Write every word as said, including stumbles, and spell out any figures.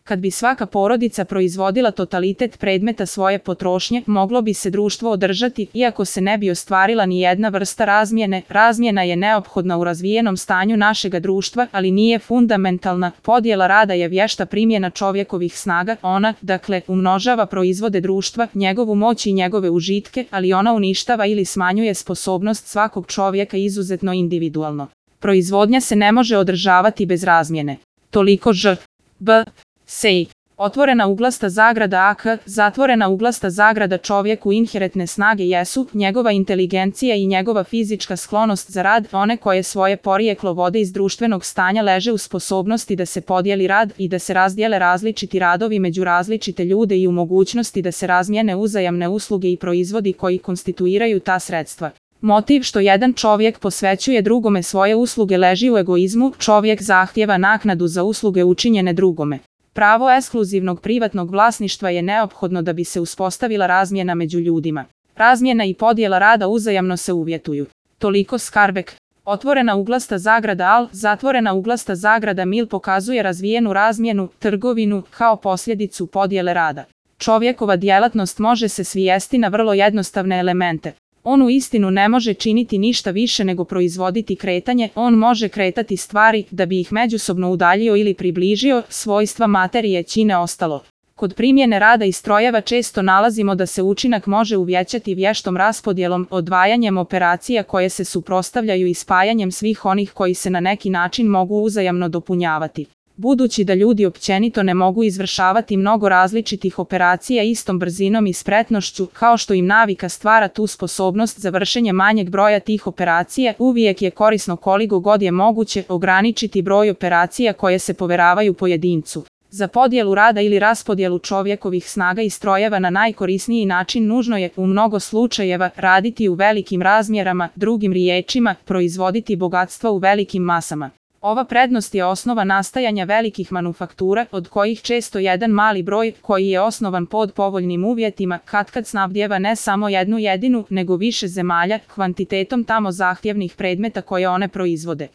Kad bi svaka porodica proizvodila totalitet predmeta svoje potrošnje, moglo bi se društvo održati, iako se ne bi ostvarila ni jedna vrsta razmjene. Razmjena je neophodna u razvijenom stanju našega društva, ali nije fundamentalna. Podjela rada je vješta primjena čovjekovih snaga. Ona, dakle, umnožava proizvode društva, njegovu moć i njegove užitke, ali ona uništava ili smanjuje sposobnost svakog čovjeka izuzetno individualno. Proizvodnja se ne može održavati bez razmjene. Toliko ž. B. Sej. Otvorena uglasta zagrada ak, zatvorena uglasta zagrada čovjeku inherentne snage jesu njegova inteligencija i njegova fizička sklonost za rad, one koje svoje porijeklo vode iz društvenog stanja leže u sposobnosti da se podijeli rad i da se razdijele različiti radovi među različite ljude i u mogućnosti da se razmijene uzajamne usluge i proizvodi koji konstituiraju ta sredstva. Motiv što jedan čovjek posvećuje drugome svoje usluge leži u egoizmu, čovjek zahtjeva naknadu za usluge učinjene drugome. Pravo ekskluzivnog privatnog vlasništva je neophodno da bi se uspostavila razmjena među ljudima. Razmjena i podjela rada uzajamno se uvjetuju. Toliko Skarbek. Otvorena uglasta zagrada al, zatvorena uglasta zagrada mil pokazuje razvijenu razmjenu, trgovinu, kao posljedicu podjele rada. Čovjekova djelatnost može se svijesti na vrlo jednostavne elemente. On u istinu ne može činiti ništa više nego proizvoditi kretanje, on može kretati stvari da bi ih međusobno udaljio ili približio, svojstva materije čine ostalo. Kod primjene rada i strojeva često nalazimo da se učinak može uvećati vještom raspodjelom, odvajanjem operacija koje se suprotstavljaju i spajanjem svih onih koji se na neki način mogu uzajamno dopunjavati. Budući da ljudi općenito ne mogu izvršavati mnogo različitih operacija istom brzinom i spretnošću, kao što im navika stvara tu sposobnost za vršenje manjeg broja tih operacija, uvijek je korisno koliko god je moguće ograničiti broj operacija koje se poveravaju pojedincu. Za podjelu rada ili raspodjelu čovjekovih snaga i strojeva na najkorisniji način nužno je, u mnogo slučajeva, raditi u velikim razmjerama, drugim riječima, proizvoditi bogatstva u velikim masama. Ova prednost je osnova nastajanja velikih manufaktura, od kojih često jedan mali broj, koji je osnovan pod povoljnim uvjetima, katkad snabdijeva ne samo jednu jedinu, nego više zemalja, kvantitetom tamo zahtjevnih predmeta koje one proizvode.